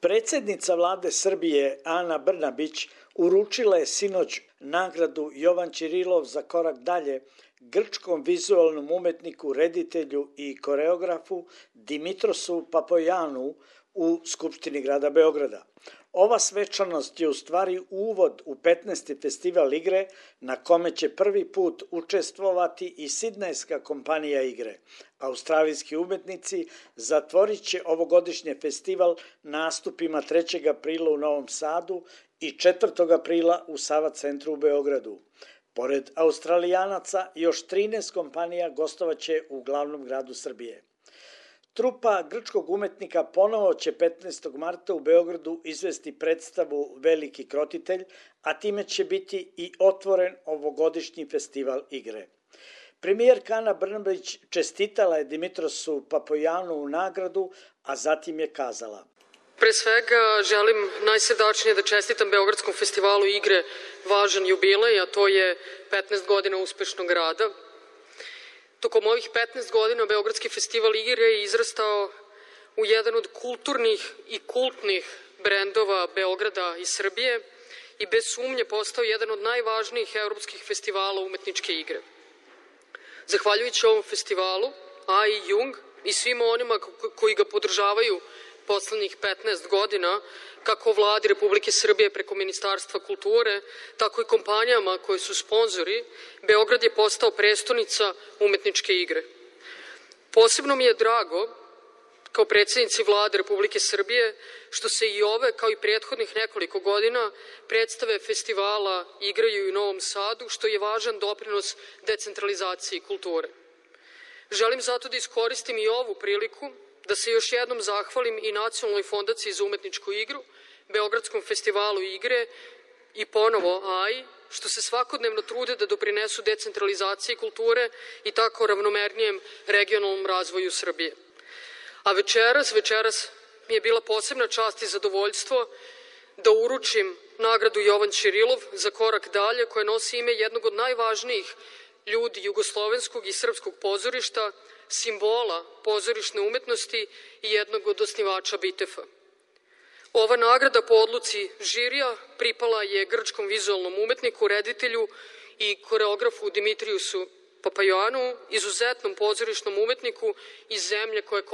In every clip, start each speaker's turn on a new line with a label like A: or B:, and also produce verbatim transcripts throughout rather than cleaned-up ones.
A: Predsednica vlade Srbije Ana Brnabić uručila je sinoć nagradu Jovan Ćirilov za korak dalje grčkom vizualnom umetniku, reditelju i koreografu Dimitrosu Papojanu u Skupštini grada Beograda. Ova svečanost je u stvari uvod u petnaesti festival igre na kome će prvi put učestvovati i sidnejska kompanija igre. Australijski umetnici zatvorit će ovogodišnji festival nastupima trećeg aprila u Novom Sadu i četvrtog aprila u Sava centru u Beogradu. Pored Australijanaca, još trinaest kompanija gostovaće u glavnom gradu Srbije. Trupa grčkog umetnika ponovo će petnaestog marta u Beogradu izvesti predstavu Veliki krotitelj, a time će biti i otvoren ovogodišnji festival igre. Premijerka Ana Brnabić čestitala je Dimitrosu Papojanu u nagradu, a zatim je kazala:
B: Pre svega želim najsrdačnije da čestitam Beogradskom festivalu igre važan jubilej, a to je petnaest godina uspešnog rada. Tokom ovih petnaest godina Beogradski festival igre je izrastao u jedan od kulturnih i kultnih brendova Beograda i Srbije i bez sumnje postao jedan od najvažnijih evropskih festivala umetničke igre. Zahvaljujući ovom festivalu, A I Jung i svima onima koji ga podržavaju poslednjih petnaest godina, kako vladi Republike Srbije preko Ministarstva kulture, tako i kompanijama koje su sponzori, Beograd je postao prestonica umetničke igre. Posebno mi je drago, kao predsjednici vlade Republike Srbije, što se i ove, kao i prethodnih nekoliko godina, predstave festivala igraju u Novom Sadu, što je važan doprinos decentralizaciji kulture. Želim zato da iskoristim i ovu priliku da se još jednom zahvalim i Nacionalnoj fondaciji za umetničku igru, Beogradskom festivalu igre i ponovo A I, što se svakodnevno trude da doprinesu decentralizaciji kulture i tako ravnomernijem regionalnom razvoju Srbije. A večeras, večeras mi je bila posebna čast i zadovoljstvo da uručim nagradu Jovan Ćirilov za korak dalje, koja nosi ime jednog od najvažnijih ljudi jugoslovenskog i srpskog pozorišta, simbola pozorišne umetnosti i jednog od osnivača Bitefa. Ova nagrada po odluci žirija pripala je grčkom vizualnom umetniku, reditelju i koreografu Dimitriusu Papojanu, izuzetnom pozorišnom umetniku iz zemlje koja je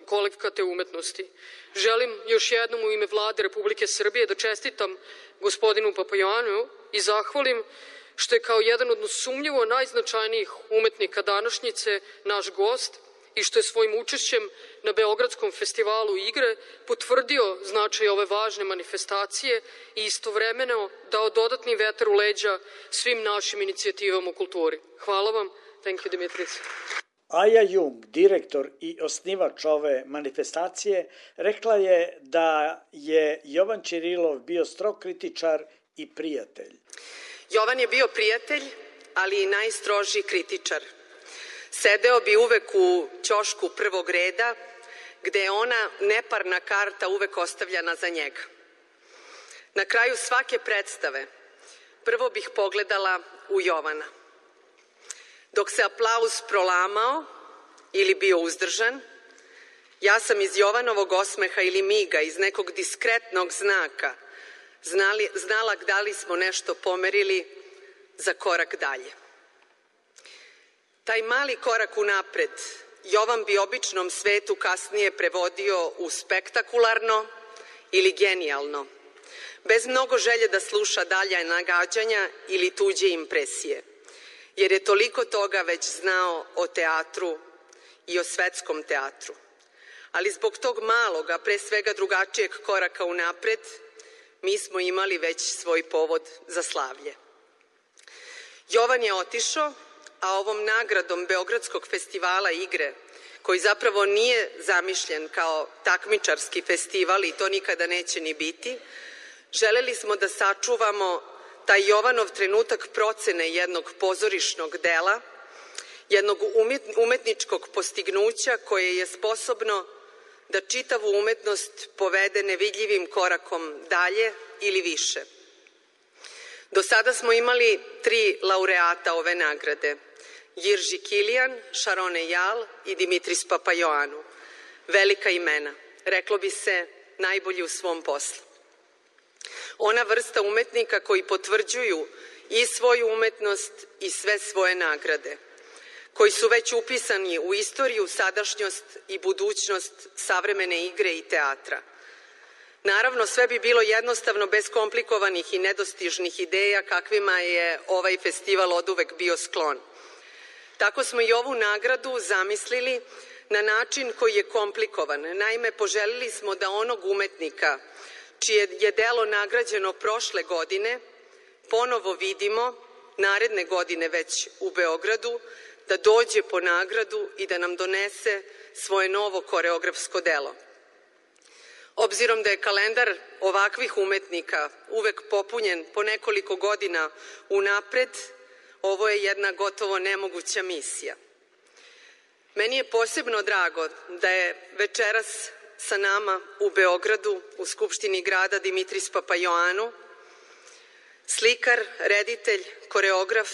B: kolevka te umetnosti. Želim još jednom u ime vlade Republike Srbije da čestitam gospodinu Papojanu i zahvalim što je kao jedan od sumnjivo najznačajnijih umetnika današnjice naš gost i što je svojim učešćem na Beogradskom festivalu igre potvrdio značaj ove važne manifestacije i istovremeno dao dodatni vetar u leđa svim našim inicijativama u kulturi. Hvala vam. Thank you, Dimitris.
A: Aja Jung, direktor i osnivač ove manifestacije, rekla je da je Jovan Ćirilov bio strog kritičar i prijatelj.
C: Jovan je bio prijatelj, ali i najstrožiji kritičar. Sedeo bi uvek u ćošku prvog reda, gde je ona neparna karta uvek ostavljana za njega. Na kraju svake predstave prvo bih pogledala u Jovana. Dok se aplauz prolamao ili bio uzdržan, ja sam iz Jovanovog osmeha ili miga, iz nekog diskretnog znaka, Znali, znala da li smo nešto pomerili za korak dalje. Taj mali korak unapred Jovan bi običnom svetu kasnije prevodio u spektakularno ili genijalno, bez mnogo želje da sluša dalja nagađanja ili tuđe impresije, jer je toliko toga već znao o teatru i o svetskom teatru. Ali zbog tog malog, a pre svega drugačijeg koraka unapred, mi smo imali već svoj povod za slavlje. Jovan je otišao, a ovom nagradom Beogradskog festivala igre, koji zapravo nije zamišljen kao takmičarski festival i to nikada neće ni biti, želeli smo da sačuvamo taj Jovanov trenutak procene jednog pozorišnog dela, jednog umetničkog postignuća koje je sposobno da čitavu umetnost povede nevidljivim korakom dalje ili više. Do sada smo imali tri laureata ove nagrade: Jirži Kilijan, Šarone Jal i Dimitris Papajoanu. Velika imena. Reklo bi se najbolji u svom poslu. Ona vrsta umetnika koji potvrđuju i svoju umetnost i sve svoje nagrade, koji su već upisani u istoriju, sadašnjost i budućnost savremene igre i teatra. Naravno, sve bi bilo jednostavno bez komplikovanih i nedostižnih ideja kakvima je ovaj festival oduvek bio sklon. Tako smo i ovu nagradu zamislili na način koji je komplikovan. Naime, poželili smo da onog umetnika čije je delo nagrađeno prošle godine ponovo vidimo naredne godine već u Beogradu, da dođe po nagradu i da nam donese svoje novo koreografsko delo. Obzirom da je kalendar ovakvih umetnika uvek popunjen po nekoliko godina unapred, ovo je jedna gotovo nemoguća misija. Meni je posebno drago da je večeras sa nama u Beogradu, u Skupštini grada, Dimitris Papaioannou, slikar, reditelj, koreograf,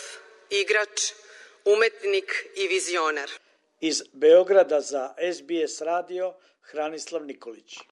C: igrač, umetnik i vizionar.
A: Iz Beograda za S B S radio Hranislav Nikolić.